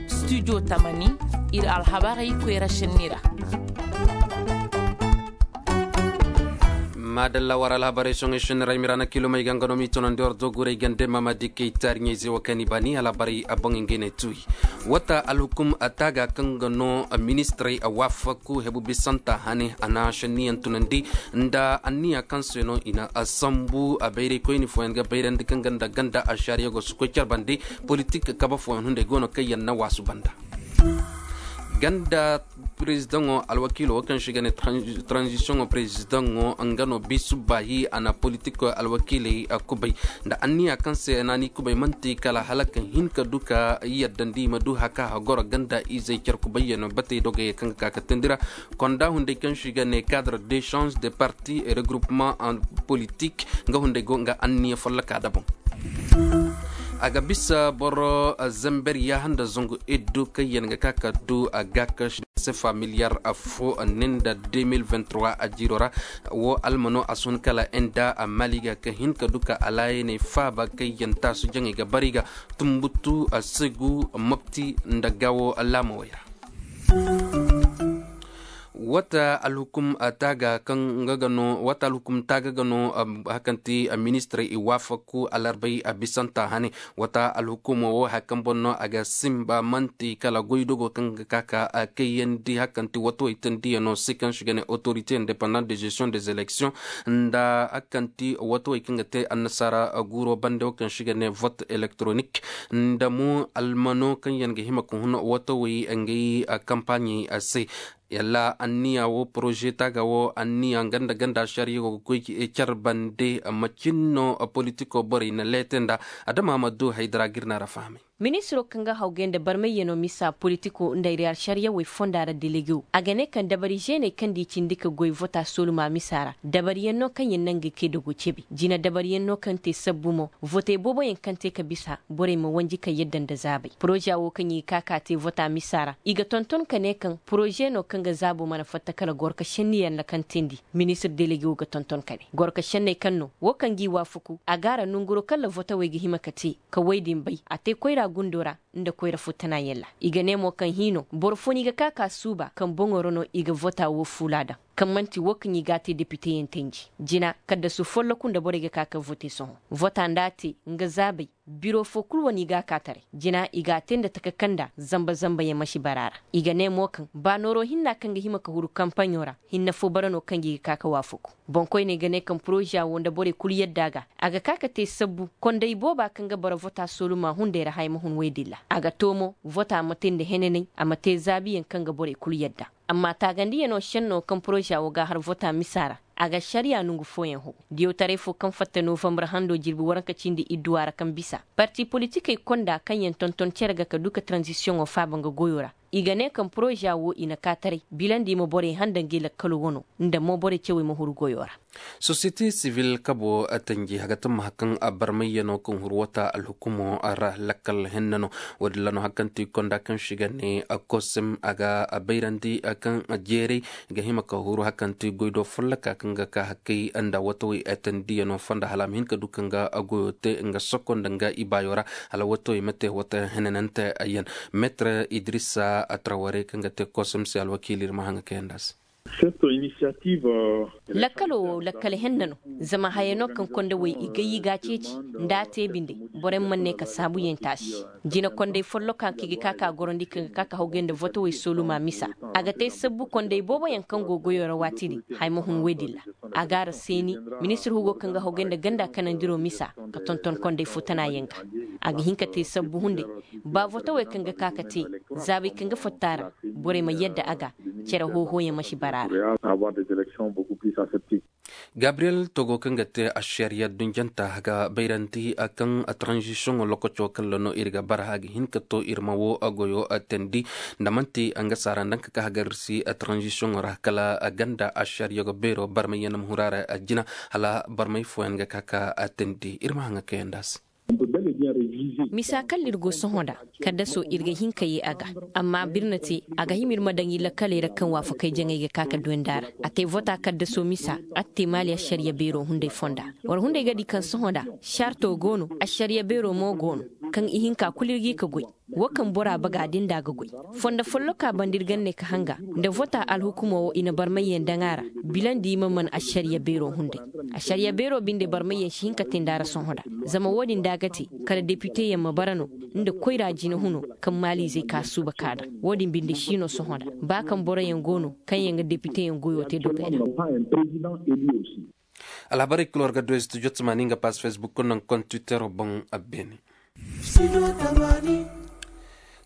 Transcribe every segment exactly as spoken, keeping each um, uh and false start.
Studio tamani, ir alhabarey koyra šenni ra. Maadalla war alhabarey soŋey šenni ra i ma ra na kilomey ga nga no m'i tonandi war doguray gande mamadi kay taariɲey ze wo kaŋ i baani alhabarey a boŋ ngey ne tuuyi. Wata alhukum taaga kaŋ ga no ministirey a waafaku hebu bisanta hane a na šenniyaŋ tunandi nda anniya kaŋ se no i na sambu a bayraykoyni fooyaŋ ga bayrandi kaŋ ga nda ganda ašariya go si koy care bande. Politik kabe fooyaŋ hunday go no kaŋ yaŋ na waasu banda. Ganda prezidaŋo alwakiilo wo kaŋ se i ga ne tranzisiyoŋo prezidaŋo nga no bisu baahi a na politiko alwakiiley kubay nda anniya kaŋ se naani kubay man'ti kala hala ka hin ka du ka yaddandi i ma du haka hagoro ganda izey care kubayyaŋ batey dogey kaŋ ga ka ka teendi ra. Konda hunday kaŋ se i ga ne cadre d'échange de parti et regroupement en politique nga hunday go nga anniya folloka daboŋ. A ga bisa boro zember yaaha nda zangu iddu kaŋ yaŋ ga ka ka du a ga ka se familiyar fo ne nda deux mille vingt-trois a jiiro ra. Wo almano a si hun kala inda a mali ga ka hin ka du ka alaayaney faaba kaŋ yaŋ taasu jaŋey ga bari ga tumbutu a segu mopti nda gaawo laamawey ra. Wata alhukum taaga kaŋ nga ga no wata alhukum taaga ga no hakanti ministirey i waafaku alarbay a bisanta hane. Wata alhukumo wo haya kaŋ boŋ no a ga simba man'ti kala goydogo kaŋ ga ka ka kayyandi hakanti watawey teendiyaŋo se kaŋ se i ga ne autorité indépendante de gestion des élections nda hakanti watawey kaŋ ga te annasaara guuro bande wo kaŋ se i ga ne vote électronique nda mo almano kaŋ yaŋ ga hima ka hun watawey ngey kampaaɲey se. Yalla anniya wo poroze taaga wo anniya ganda ganda ašariya go ga goy care bande macin no politiko borey na leete nda adama ma du haydara ga ir na ra fahamay. Ministiro kaŋ ga hawgay nda barmayyaŋo misa politiko nda ir ašariyawey fonda ra delegewo a ga ne kaŋ dabari zeeney kaŋ nda i cindi ka goy vota sooluma misa ra dabariyaŋ no kaŋ yaŋ naŋ ga kay dogo cebi jina dabariyaŋ no kaŋ te sabbu mo votey booboyaŋ kaŋ te ka bisa borey ma wanji ka yadda nda zaabay poroza wo kaŋ i ga ka ka te vota misa ra i ga tonton ka ne kaŋ poroze no kaŋ ga zaabo mana fatta kala gorka senniyaŋ ra kaŋ teendi. Ministir delegewo ga tonton ka ne gorka senney kaŋ no wo kaŋ g'i waafaku a gaara nonguro kaŋ ra votawey ga hima ka te ka woy din bay a te koyra gundo ra nda koyra futtanaayaŋ ra. I ga ne mo kaŋ hiino boro fo no i ga ka ka suuba kaŋ boŋo ra no i ga vota wo fuula daŋ kaŋ man'ti wo kaŋ i g'a te depiteyaŋ tenji jina kaddasu folloku nda borey ga ka ka vote sohõ vota nda a te nga zaabay biro fo kulu wane i g'a ka taray jina i g'a te nda taka kaŋ nda zamba zambayaŋ ma si bara ra. I ga ne mo kaŋ ba nooro hinna kaŋ ga hima ka huru kampaɲo ra hinne fo bara no kaŋ ga i ga ka ka waafaku. Boŋkoyney ga ne kaŋ poroza wo nda borey kulu yadda ga a ga ka ka te sabbu konday booba kaŋ ga bara vota sooluma hunday ra haya ma hun woy din ra a ga too mo vota ma te nda henanay a ma te zaabiyaŋ kaŋ ga borey kulu yadda. Amma taagandiyaŋo senno kaŋ poroza wo g'a har vota misa ra a ga ašariya nongu fooyaŋ how diyawtaray fo kaŋ fatta novambar hando jirbi waranka cindi idduwa ra kaŋ bisa parti politikey konda kaŋ yaŋ tonton cere ga ka du ka taranzisiyoŋo faaba nga goyo ra. I ga ne kaŋ poroza wo i na ka taray bilandi ma borey handa ngey lakkalo wano nda mo borey cewey ma huru goyo ra. Sosiyete sivil kabo tanji haga tammaha kaŋ barmayyaŋo kaŋ huru wata alhukumo ra lakkal hennano. Wo-din ra no hakanti konda kaŋ se i ga ne kosem a ga bayrandi kaŋ jeeray ga hima ka huru hakanti goydo folloka kaŋ ga ka hakkay nda watawey tandiyaŋo fonda hala a ma hin ka du kaŋ ga goyo te nga soko nda nga ibaayo ra hala watawey ma te wata henanante yaŋ. Metre idrisa traware kaŋ ga te kosem se alwakiili ir ma haŋa kayanda se. Lakkalo wo lakkale henna no. Zama haya no kaŋ kondawey i gay i g'a ceeci nda a te binde. Boroyaŋ mana ne ka saabuyaŋ taasi jina kondey folloka kaŋ i ga ka ka gorandi kaŋ ga ka ka hawgay nda votowey sooluma misa. A ga te sabbu kondey booboyaŋ kaŋ go goyo ra waati din haya ma hun woy din ra. A ga a ra seeni ministir hugo kaŋ ga hawgay nda ganda kanandiro misa ka tonton kondey fo tana yaŋ ga. A ga hin ka te sabbu hunday ba votowey kaŋ ga ka ka te zaabey kaŋ ga fatta a ra. Borey ma yadda a ga cere hoohooyaŋ ma si bara a ra. Gabriyel togo kaŋ ga te ašariya dunjanta ga bayrandi kaŋ taranzisiyoŋo lokaco kaŋ ra no ir ga bara a ga hin ka to ir ma wo goyo teendi. Nda man'ti nga saara nda nga ka hagar ir si taranzisiyoŋo ra kala ganda ašariya ga beero barmay yaŋ na ma huru a ra jina hala barmay fooyaŋ ga ka ka teendi ir ma haŋa kayanda se. Misa kalla ir go sohõ nda, kaddaso ir ga hin ka yee a ga. Amma birna te, a ga hima ir ma daŋ ir lakkaley ra kaŋ waafakey jaŋay ga ka ka duwandi a ra. A te vota kaddaso misa, a te maali ašariya beero hunday fonda. War hunday ga di kaŋ sohõ nda, sarto go no, ašariya beero mo go no, kaŋ ihinka kulu ir g'i ka goy. Wo kaŋ bora baga din da a ga goy. Fondo folloka banda ir ga ne ka hanga, nda vota alhukumo wo i na barmayyaŋ daŋ a ra, bilandi i ma man ašariya beero hunday. Ašariya beero binde barmayyaŋ si hin ka te nda a ra sohõ nda. Zama wo-din da a ga te, kala depiteyaŋ ma bara no, nda koyra jina huno, kaŋ maaliizey ka suuba ka daŋ. Wo-din binde si no sohõ nda. Ba kaŋ boroyaŋ go no, kaŋ yaŋ ga depiteyaŋ goyo te dogey ra. Alhabarey kul war ga du studio tamaani nga pass facebook naŋ kon twitter boŋ. Beene.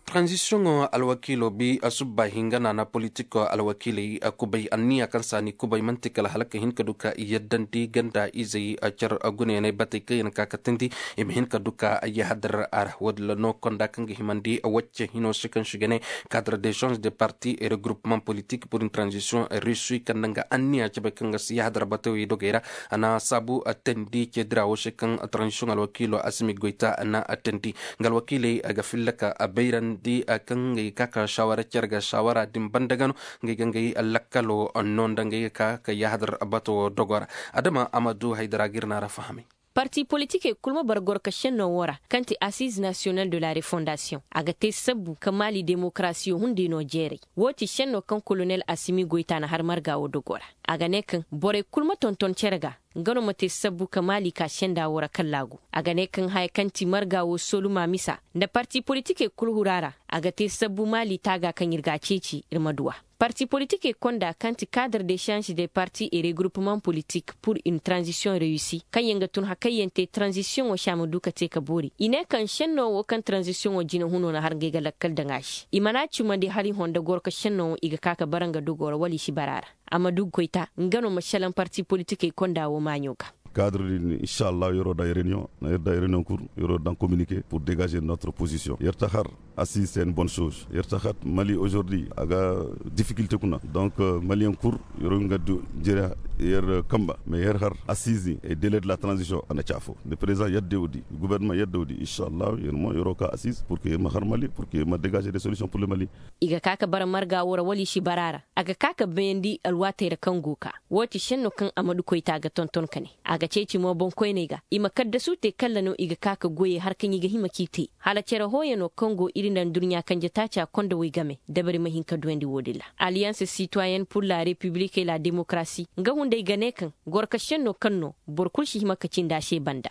Tranzisiyoŋo alwakiilo bi asubba hinga naana politiko alwakiiley kubay anniya kaŋ saani kubay man'ti kala hala ka hin ka du ka i yaddandi ganda izey car gunayaney batey kaŋ yaŋ ka ka tindi. I ma hin ka du ka yahadar a ra wo-din ra no konda kaŋ ga himandi wacce hino se kaŋ si ga ne, cadre de change de parti et regroupement politique pour une transition réussie kaŋ na nga anniya cabe kaŋ ga si yahadar batawey dogey ra. A na saabu teendi ce dira wo se kaŋ transition alwakiilo asimi goyta na teendi. Nga alwakiiley ga filla ka bayrandi kaŋ ga ka ka saawara care ga saawara din banda ga no. Ngey ga ngey lakkalo no nda ngey ga ka ka yahadar bato dogo ra. Adama amadu haydara ga ir na ra fahamay. Parti politikey kulu ma bara goro ka senno wo ra kaŋ ti assize national de la refondation a ga te sabbu ka maali demokarasiyo hunday no jeeray. Wo ti senno kaŋ kolonel asimi goyta na har marga wo dogo ra. A ga ne kaŋ borey kulu ma tonton cere ga, nga no ma te sabbu ka maali ka senda wo ra kallaagu. A ga ne kaŋ haya kaŋ ti marga wo soluma misa nda parti politikey kulu hura ra, a ga te sabbu maali taaga kaŋ ir ga a ceeci ir ma du a. Parti politikey konda kaŋ ti cadre de change de parti et regroupement politique pour une transition réussie kaŋ yaŋ ga tun hakayyaŋ te transition wo se a ma du ka te ka boori. I ne kaŋ senno wo kaŋ transition wo jina huno na har ngey ga lakkal daŋ a se i mana cumandi hala i honda goro ka senno wo i ga ka ka bara nga dogo ra wala i si bara a ra. A ma du goyta nga no ma salaŋ parti politikey konda wo maaɲo ga. Kaadiri din inshallah yeroo daŋ reunion na yer daŋ reunion kur yeroo daŋ communiquer pour dégager notre position yer ta har. Assise c'est une bonne chose yer ta har mali aujourd'hui a ga difficulté kuna donc maliyen kur yeroo nga du jere yer kamba mais yer har assise et délai de la transition a na caafo de président yadde wudi gouvernement yadde wudi inshallah yer mo yeroo ka assise pour que yer ma har mali pour que yer ma dégager des solutions pour le mali. I ga ka ka bara marga wo ra wala i si bara a ra. A ga ka ka bayandi alwaatey ra kaŋ go ka wo ti senno kaŋ a ma du koyta ga tonton ka ne a ga ceeci mo boŋkoyney ga i ma kaddasu te kalla no i ga ka ka goyey har kaŋ i ga hima k'i te. Hala cere hooyano kaŋ go iri nda nduɲɲa kanje taaca kondowey game dabari ma hin ka duwandi wo-din ra. Alliance citoyenne pour la république et la démocratie nga hunday ga ne kaŋ goro ka senno kaŋ no boro kulu si hima ka cindi a se banda.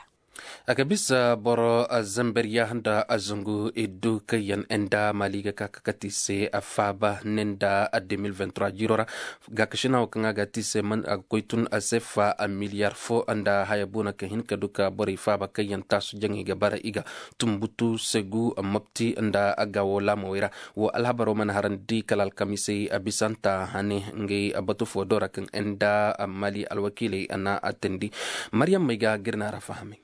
A ga bisa boro zember yaaha nda zangu iddu kaŋ yaŋ enda mali ga ka ka kati se faaba ne nda deux mille vingt-trois jiiro ra. Gaakasina wo kaŋ a ga ti se a ga koy tun a se fa miliyar fo nda haya boona ka hin ka du ka borey faaba kaŋ yaŋ taasu jaŋay ga bara i ga tumbutu segu mopti nda a ga wo laamawey ra. Wo alhabaro mana harandi kala alkamisey a bisanta hane ngey batu fo do ra kaŋ enda mali alwakiiley a na a teendi. Maryam may ga gir na ra fahamay.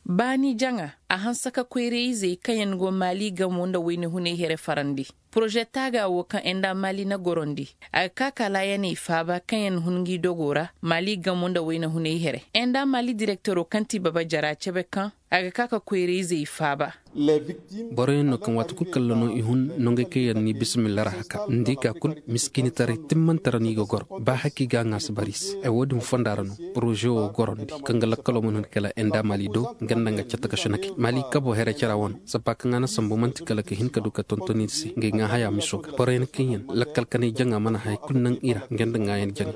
Baani jaŋa a hanse ka koyra-izey kaŋ yaŋ go maali gamo nda wayna hunay here farandi. Poroze taaga wo kaŋ enda maali na gorondi a ga ka ka laayaney faaba kaŋ yaŋ hun ngi dogo ra maali gamo nda wayna hunay here enda maali direktero kaŋ ti baba jara cebe kaŋ a ga ka ka koyra-izey faaba. Boroyaŋ no kaŋ waati kulu kalla no i hun nongey kaŋ yaŋ ni bisimilla ra haka nda i ka kulu miskiinitaray timmante ra no i ga goro ba haki ga a ŋaasi bara i se ay wo-din fonda ra no. Poroze wo gorondi kaŋ ga lakkalo mana hun kala enda maali do nga nda nga catta ka sunakey maali kabo here cara wano sappa kaŋ a na sambu man'ti kala ka hin ka du ka tonton i se ngey ŋaa haya miso ga boroyaŋ kaŋ yaŋ lakkal kanay jaŋa mana haya kulu naŋ i ra nga nda ŋaayaŋ jaŋa.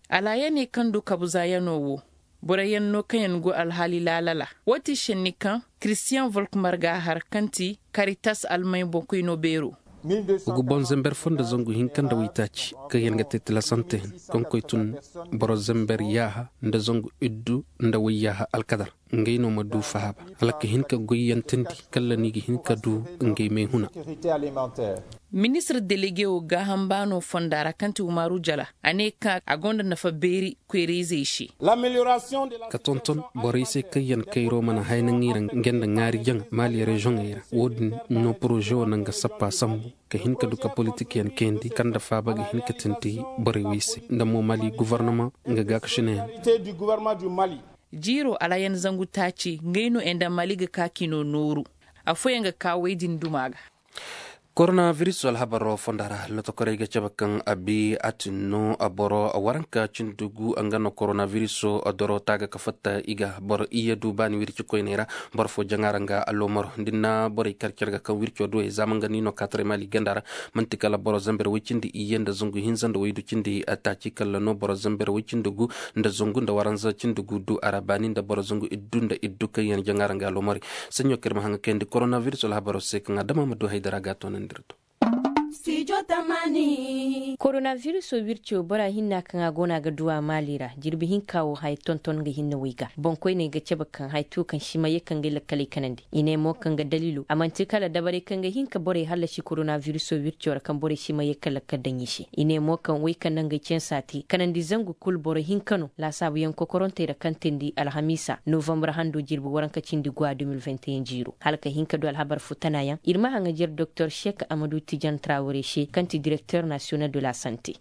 Alaayaney kaŋ du kabu zaayanoo wo boroyaŋ no kaŋ yaŋ go alhaali laalala. Wo ti senni kaŋ kiristiyaŋ volkmar ga a har kaŋ ti karitas almay boŋkoynoo beeroo. Wa ga boŋ zember fo nda zangu hinka nda waytaaci kaŋ yaŋ ga te tilasante hin kaŋ koy tun boro zember yaaha nda zangu iddu nda wayyaaha alkadar. Ngey no ma du fahaaba hala ka hin ka goyyantandi kalla ni ga hin ka du ngey may huna. Ministir delege wo gaaham baano fonda ra kaŋ ti umaaru jala a ne kaŋ a gonda nafa beeri koyra-izey se. Ka tonton borey se kaŋ yaŋ kayro mana hay naŋ i ra nga nda ŋaari jaŋa maali rezoŋey ra. Wo-din no poroze wo naŋ ga sappa sambu ka hin ka du ka politik yaŋ kayandi kaŋ nda faaba ga hin ka tindi borey wey se nda mo maali govornama nga gaakasinayaŋ. Jiiro alayan zangu taaci ngey no nda mali ga ka kino nooru. Afooyaŋ ga ka wey din duma ga. Koronabiris alhabaro fonda ra lotokorey ga cabe kaŋ a bi a tin no boro waranka cindi gu nga no koronabiris doro taaga ka fatta i ga boro iyye du baani wirci koyney ra. Boro fo jaŋa ra nga alomaro da ni na borey kar care ga kaŋ wirco duwey za ma nga ni no kaataray maali ganda ra. Man'ti kala boro zamber woy cindi iyye nda zangu hinza nda waydu cindi taaci kala no boro zamber woy cindi gu nda zangu nda waranza cindi gu du a ra baani nda boro zangu iddu nda iddu kaŋ yaŋ jaŋa ra nga alomaro. Saɲɲo kaŋ ir ma haŋ ga kayandi koronabiris alhabaro se kaŋ adama ma du haydara ga a toonandi ir do. Koronabiris wirco bora hinna kaŋ a go no a ga du a maali ra jirbi hinka wo haya tonton nga hinne wo i ga boŋkoyney ga cabe kaŋ haya tu kaŋ si ma ye ka ngey lakkaley kanandi. I ne mo kaŋ ga daliilo a man'ti kala dabarey kaŋ ga hin ka borey hallasi koronabiris wirco ra kaŋ borey si ma ye ka lakkal daŋ i se. I ne mo kaŋ wey kaŋ na ngey cansa te kanandi zangu kul boro hinka no laasaabuyaŋ kokorontey ra kaŋ teendi alhamiisa novambar hando jirbi waranka cindi gwa de mil vingt et un jiiro hala ka hin ka du alhabar fo tanayaŋ ir ma haŋajer doktor sek amadu tijan trawre se kaŋ ti direkter nasiyonal de la sante.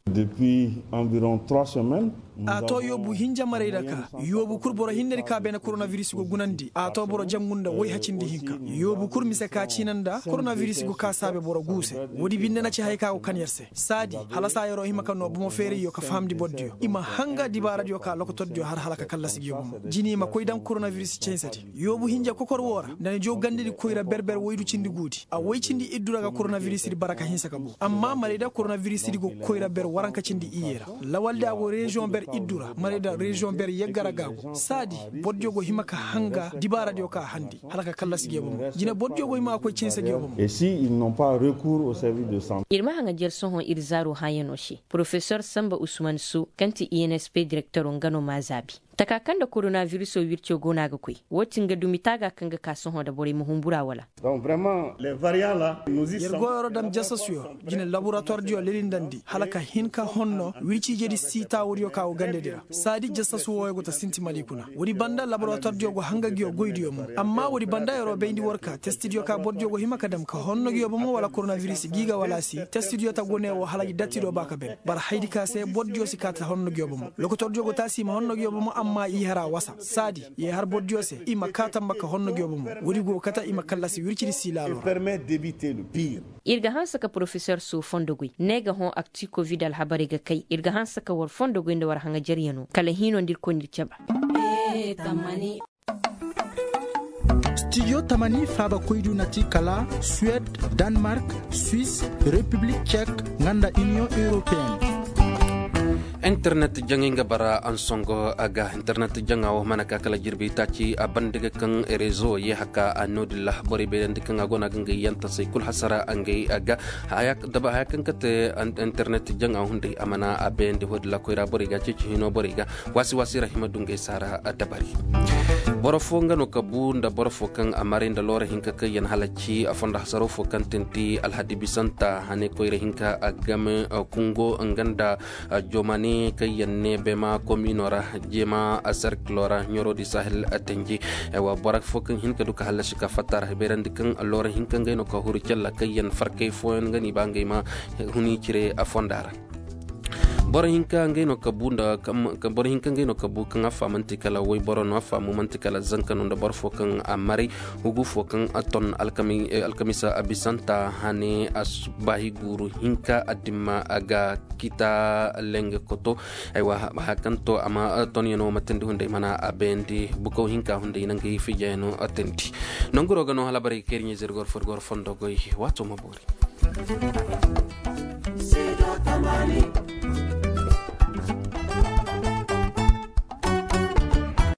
A to yoobu hinja marey ra ka yoobu kul boro hinne di ka beene koronabiris go gunandi a to boro jangu nda wayha cindi hinka. Yoobu kul mise ka ciina nda koronabiris go ka saabe boro guu se. Woodi binde na ci haya ka go kan yer se saadi hala saa yeroo hima ka noo bomo feerayyo ka fahamndi bordiyo i ma hanga dibaaradiyo ka lokotordiyo har hala ka kallasi ngiyo bomo jini i ma koy daŋ koronabiris cansedi. Yoobu hinja kokor woo ra nda ni joo gandedi koyra ber-ber woydu cindi guudi a woy cindi iddu ra ga koronabirisidi bara ka hinsa ka boo amma marayda koronabirisidi go koyra ber waranka cindi iyye ra. Lawaldi a go reziyoŋ ber iddu ra marayda reziyoŋ ber yagga ra ga go saadi. Bordiyo go hima ka hanga dibaaradiyo ka handi hala ka kallasi ngiyo bomo jine bordiyo go hima ka koy cansa ngiyo bomo. Ir ma haŋa jer sohõ ir zaaro hãyanoo se porofesor samba usman su kaŋ ti insp direktoro nga no m'a zaabi. Taka kaŋ nda koronabirisoo wirco go no a ga koy woo ti nga dumi taaga kaŋ ga ka sohõ nda borey ma humbura wala? Yer goyoo ra dam jasasuyo jine laboratoirdiyo lelindandi hala ka hin ka honno wirciijedi sii taawudiyo ka go gandedi ra saadi jasasu wooyo go ta sinti mali kuna. Woodi banda laboratoirdiyo go hanga ngiyo goydiyo mo amma woodi banda yeroo bayndi war ka testidiyo ka bordiyo go hima ka dam ka honno ngiyo bomo wala koronabiris gi ga wala si testidiyo ta go ne woo hala gi dattido ba ka ben bara haydi ka se bordiyo si kaa ta honno ngiyo bomo lokotordiyo go taasi i ma honno ngiyo bomo amma i hara wasa saadi ye har bordiyo se i ma kaa tamba ka honno ngiyo bomo woodi go kata i ma kallasi wircidi si laalo ra. Ir ga hanse ka porofesor soo fondo goy ne ga hõ akti kovid alhabarey ga kay ir ga hanse ka war fondo goy nda war haŋajeryanoo kala hiinoo nda ir koy nda ir caba. Stijo tamani faabakoydu na ti kala suwed, danmark, swis, repiblik cek, nga nda iniyoŋ europeen. Internet jaŋay nga bara ansongo a ga internet jaŋa wo mana ka kala jirbi taaci a banda ga kaŋ rezo ye haka a noodin ra borey bayrandi kaŋ a go no a ga ngey yantasey kul hasara ngey a ga. Haya kaŋ ga te internet jaŋa hunday a mana a bayandi hoodin ra koyra borey ga ceeci hino borey ga waasi waasi ra hima dungay saara dabari. Boro fo nga no ka bu nda boro fo kaŋ a maray nda loora hinka kaŋ yaŋ halaci a fondo hasaro fo kaŋ tinti alhadi bisanta hane koyra hinka a game kungo nga nda jomane kaŋ yaŋ ne bema komino ra jema serkilo ra ɲorodi sahel tenji. Boro fo kaŋ hin ka du ka halaci ka fatta ra habayrandi kaŋ loora hinka ngey no ka huru calla kaŋ yaŋ farkay fooyaŋ nga ni ba ngey ma huni cire fonda ra. Boro hinka ngey no ka bu nda boro hinka ngey no ka bu kaŋ a faamanti kala woy boro no a faamu manti kala zanka no nda boro fo kaŋ a maray hugu fo kaŋ a ton alkamisa a bisanta hane a baahi guuru hinka a dimma a ga kita lenge koto. Aywa haya kaŋ to a ma tonyano ma tindi hunday mana a bayandi bukaw hinka hunday nangay fijayano a tindi. Nanguro ga no hala baray kayri ɲay zirgor furgor fondo goy waato ma boori.